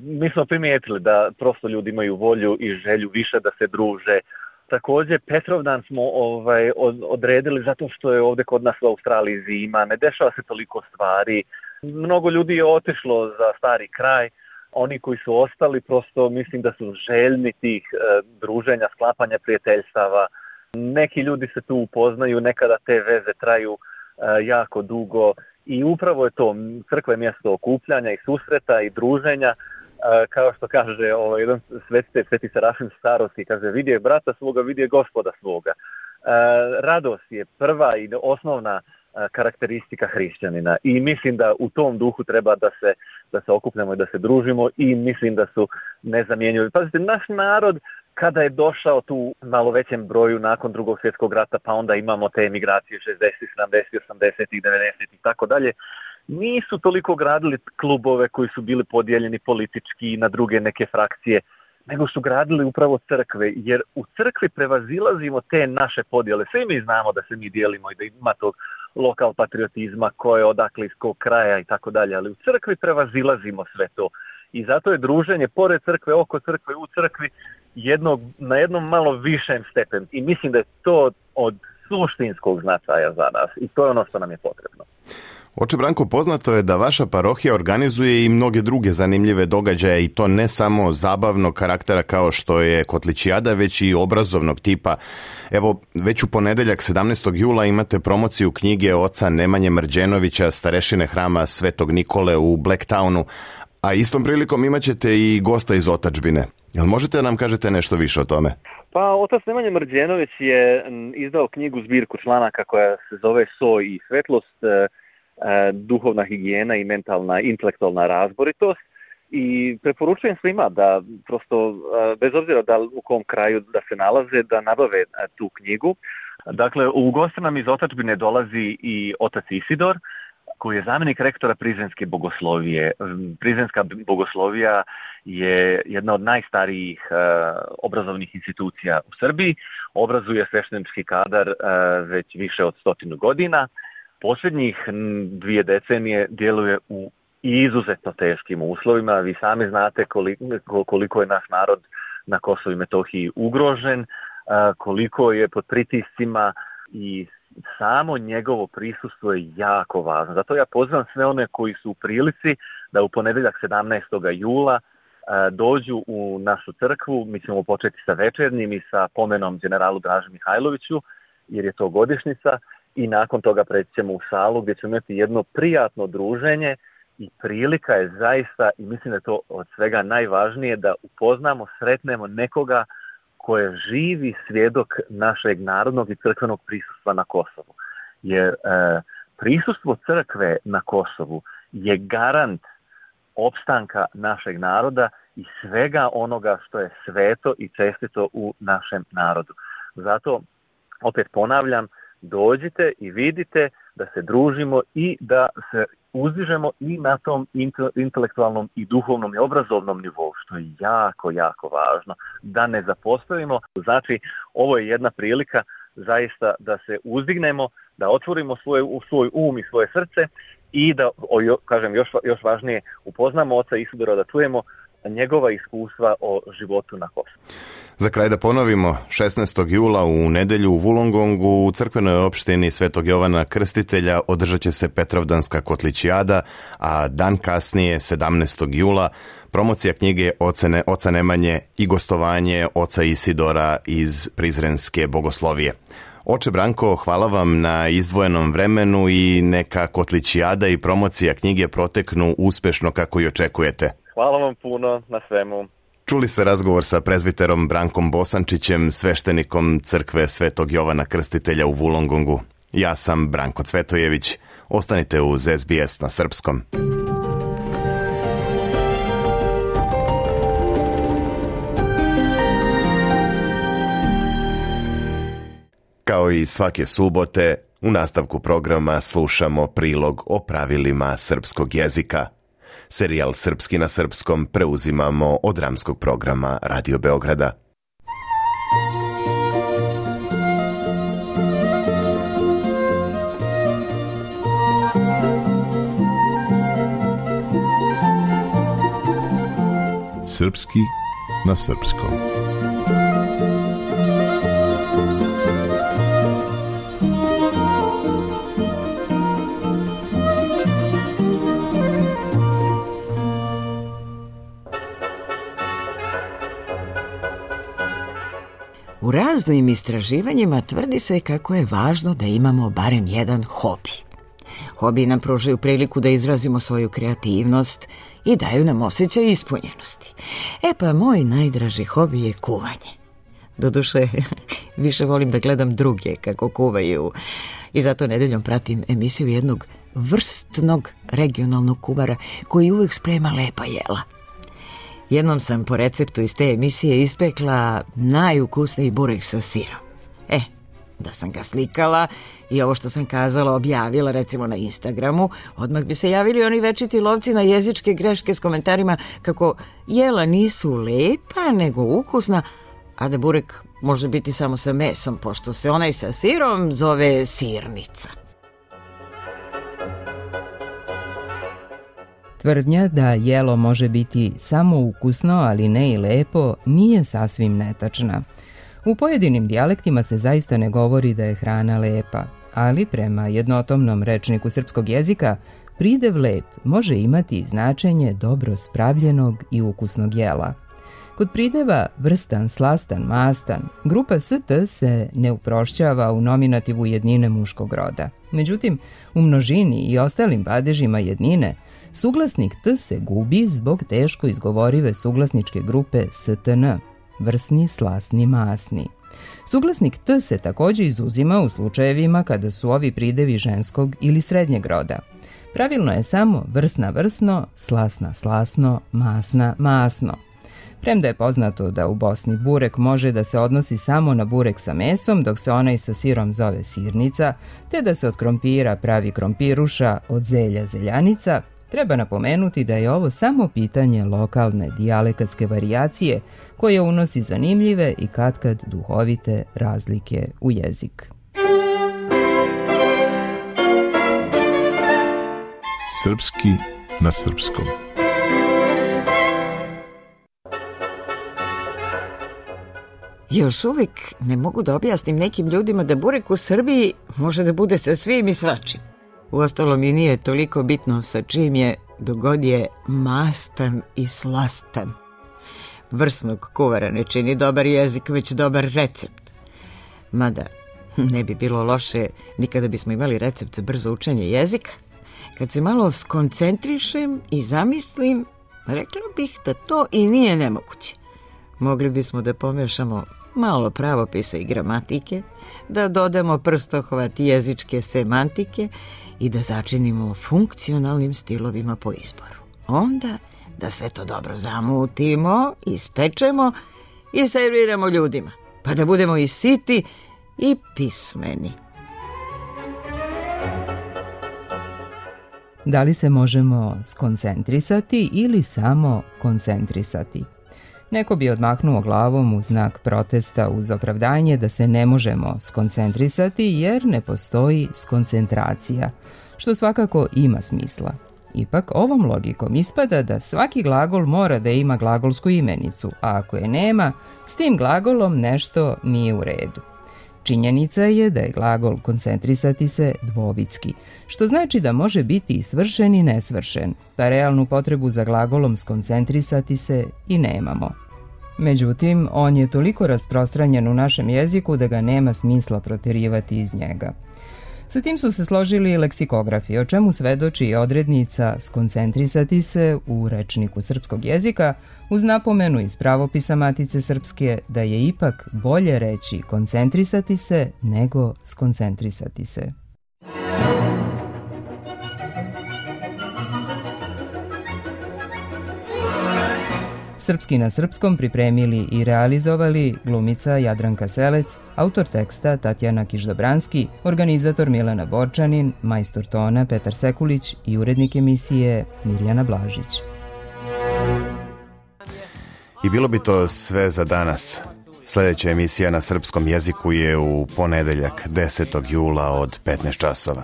Mi smo primijetili da prosto ljudi imaju volju i želju više da se druže. Također Petrovdan smo odredili zato što je ovdje kod nas u Australiji zima, ne dešava se toliko stvari. Mnogo ljudi je otišlo za stari kraj, oni koji su ostali prosto mislim da su željni tih druženja, sklapanja prijateljstava. Neki ljudi se tu upoznaju, nekada te veze traju jako dugo i upravo je to, crkva je mjesto okupljanja i susreta i druženja. Kao što kaže jedan sveti Serafim Starovski, kaže vidje brata svoga, vidje Gospoda svoga. Radost je prva i osnovna karakteristika hrišćanina i mislim da u tom duhu treba da se okupljamo i da se družimo i mislim da su nezamjenjivi. Pazite, naš narod kada je došao tu malo većem broju nakon Drugog svjetskog rata, pa onda imamo te emigracije 60, 70, 80, 90 i tako dalje, nisu toliko gradili klubove koji su bili podijeljeni politički na druge neke frakcije, nego su gradili upravo crkve, jer u crkvi prevazilazimo te naše podjele. Svi mi znamo da se mi dijelimo i da ima tog lokal patriotizma, ko je odakle iz kog kraja i tako dalje, ali u crkvi prevazilazimo sve to. I zato je druženje pored crkve, oko crkve, u crkvi na jednom malo višem stepenu. I mislim da je to od suštinskog značaja za nas i to je ono što nam je potrebno. Oče Branko, poznato je da vaša parohija organizuje i mnoge druge zanimljive događaje i to ne samo zabavnog karaktera kao što je kotlićijada, već i obrazovnog tipa. Evo, već u ponedeljak 17. jula imate promociju knjige oca Nemanje Mrđenovića, starešine hrama Svetog Nikole u Blacktownu, a istom prilikom imat ćete i gosta iz otadžbine. Jel možete da nam kažete nešto više o tome? Pa otac Nemanja Mrđenović je izdao knjigu zbirku članaka koja se zove Soj i svetlost, duhovna higijena i mentalna, intelektualna razboritost. I preporučujem svima da prosto, bez obzira da u kom kraju da se nalaze, da nabave tu knjigu. Dakle, u goste nam iz otadžbine dolazi i otac Isidor, koji je zamjenik rektora Prizrenske bogoslovije. Prizrenska bogoslovija je jedna od najstarijih obrazovnih institucija u Srbiji. Obrazuje sveštenički kadar već više od 100 godina. Posljednjih 2 decenije djeluje u izuzetno teškim uslovima. Vi sami znate koliko je naš narod na Kosovu i Metohiji ugrožen, koliko je pod pritiscima i samo njegovo prisustvo je jako važno. Zato ja pozivam sve one koji su u prilici da u ponedjeljak 17. jula dođu u našu crkvu. Mi ćemo početi sa večernjim i sa pomenom generalu Draži Mihajloviću, jer je to godišnjica, i nakon toga preći ćemo u salu gdje ćemo imati jedno prijatno druženje i prilika je zaista, i mislim da je to od svega najvažnije, da upoznamo, sretnemo nekoga ko je živi svjedok našeg narodnog i crkvenog prisustva na Kosovu. Jer prisustvo crkve na Kosovu je garant opstanka našeg naroda i svega onoga što je sveto i čestito u našem narodu. Zato, opet ponavljam, dođite i vidite da se družimo i da se uzdižemo i na tom intelektualnom i duhovnom i obrazovnom nivou, što je jako, jako važno, da ne zapostavimo. Znači, ovo je jedna prilika zaista da se uzdignemo, da otvorimo svoj um i svoje srce i da, kažem, još važnije, upoznamo oca Isidora, da čujemo njegova iskustva o životu na Kosovu. Za kraj da ponovimo, 16. jula u nedjelju u Wollongongu u crkvenoj opštini Svetog Jovana Krstitelja održat će se Petrovdanska kotličijada, a dan kasnije, 17. jula, promocija knjige Oca Nemanje i gostovanje oca Isidora iz Prizrenske bogoslovije. Oče Branko, hvala vam na izdvojenom vremenu i neka kotličijada i promocija knjige proteknu uspešno kako i očekujete. Hvala vam puno na svemu. Čuli ste razgovor sa prezbiterom Brankom Bosančićem, sveštenikom crkve Svetog Jovana Krstitelja u Wollongongu. Ja sam Branko Cvetojević. Ostanite uz SBS na srpskom. Kao i svake subote, u nastavku programa slušamo prilog o pravilima srpskog jezika. Serijal Srpski na srpskom preuzimamo od dramskog programa Radio Beograda. Srpski na srpskom. U raznim istraživanjima tvrdi se kako je važno da imamo barem jedan hobi. Hobiji nam pružaju priliku da izrazimo svoju kreativnost i daju nam osjećaj ispunjenosti. Pa moj najdraži hobi je kuvanje. Doduše, više volim da gledam druge kako kuvaju i zato nedeljom pratim emisiju jednog vrstnog regionalnog kuvara koji uvijek sprema lepa jela. Jednom sam po receptu iz te emisije ispekla najukusniji burek sa sirom. Da sam ga slikala i ovo što sam kazala objavila recimo na Instagramu, odmah bi se javili oni večiti lovci na jezičke greške s komentarima kako jela nisu lepa nego ukusna, a da burek može biti samo sa mesom, pošto se onaj sa sirom zove sirnica. Tvrdnja da jelo može biti samo ukusno, ali ne i lepo, nije sasvim netačna. U pojedinim dijalektima se zaista ne govori da je hrana lepa, ali prema jednotomnom rečniku srpskog jezika, pridev lep može imati značenje dobro spravljenog i ukusnog jela. Kod prideva vrstan, slastan, mastan, grupa st se ne uprošćava u nominativu jednine muškog roda. Međutim, u množini i ostalim padežima jednine, suglasnik t se gubi zbog teško izgovorive suglasničke grupe stn. vrsni, slasni, masni. Suglasnik t se takođe izuzima u slučajevima kada su ovi pridevi ženskog ili srednjeg roda. Pravilno je samo vrsna, vrsno, slasna, slasno, masna, masno. Premda je poznato da u Bosni burek može da se odnosi samo na burek sa mesom, dok se onaj sa sirom zove sirnica, te da se od krompira pravi krompiruša, od zelja zeljanica, treba napomenuti da je ovo samo pitanje lokalne dijalekatske varijacije koje unosi zanimljive i katkad duhovite razlike u jezik. Srpski na srpskom. Još uvijek ne mogu da objasnim nekim ljudima da burek u Srbiji može da bude sa svim i svačim. Uostalom i nije toliko bitno sa čim je, dok god je mastan i slastan. Vrsnog kuvara ne čini dobar jezik, već dobar recept. Mada ne bi bilo loše ni kada bismo imali recept za brzo učenje jezika. Kad se malo skoncentrišem i zamislim, rekla bih da to i nije nemoguće. Mogli bismo da pomešamo malo pravopisa i gramatike, da dodamo prstohvat jezičke semantike i da začinimo funkcionalnim stilovima po izboru. Onda da sve to dobro zamutimo, ispečemo i serviramo ljudima, pa da budemo i siti i pismeni. Da li se možemo skoncentrisati ili samo koncentrisati? Neko bi odmahnuo glavom u znak protesta uz opravdanje da se ne možemo skoncentrisati jer ne postoji skoncentracija, što svakako ima smisla. Ipak, ovom logikom ispada da svaki glagol mora da ima glagolsku imenicu, a ako je nema, s tim glagolom nešto nije u redu. Činjenica je da je glagol koncentrisati se dvovitski, što znači da može biti i svršen i nesvršen, pa realnu potrebu za glagolom skoncentrisati se i nemamo. Međutim, on je toliko rasprostranjen u našem jeziku da ga nema smisla proterivati iz njega. Sa tim su se složili i leksikografi, o čemu svedoči i odrednica skoncentrisati se u rečniku srpskog jezika, uz napomenu iz pravopisa Matice Srpske da je ipak bolje reći koncentrisati se nego skoncentrisati se. Srpski na srpskom pripremili i realizovali glumica Jadranka Selec, autor teksta Tatjana Kiš-Dobranski, organizator Milena Borčanin, majstor tona Petar Sekulić i urednik emisije Mirjana Blažić. I bilo bi to sve za danas. Sljedeća emisija na srpskom jeziku je u ponedeljak 10. jula od 15 časova.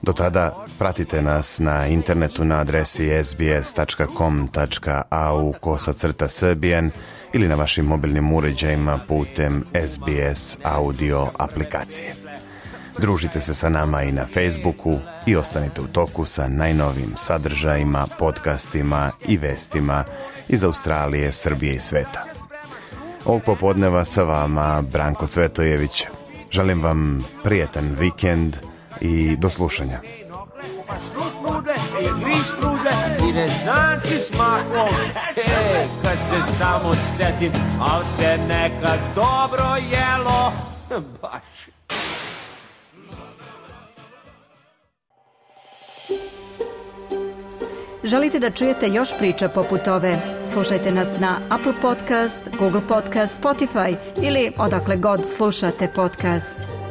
Do tada pratite nas na internetu na adresi sbs.com.au/srbijan ili na vašim mobilnim uređajima putem SBS audio aplikacije. Družite se sa nama i na Facebooku i ostanite u toku sa najnovijim sadržajima, podcastima i vestima iz Australije, Srbije i sveta. Ovog popodneva sa vama Branko Cvetojević. Želim vam prijetan vikend i do slušanja. I rezanci smakom, kad se samo setim, al se nekad dobro jelo, baš. Želite da čujete još priča poput ove? Slušajte nas na Apple Podcast, Google Podcast, Spotify ili odakle god slušate podcast.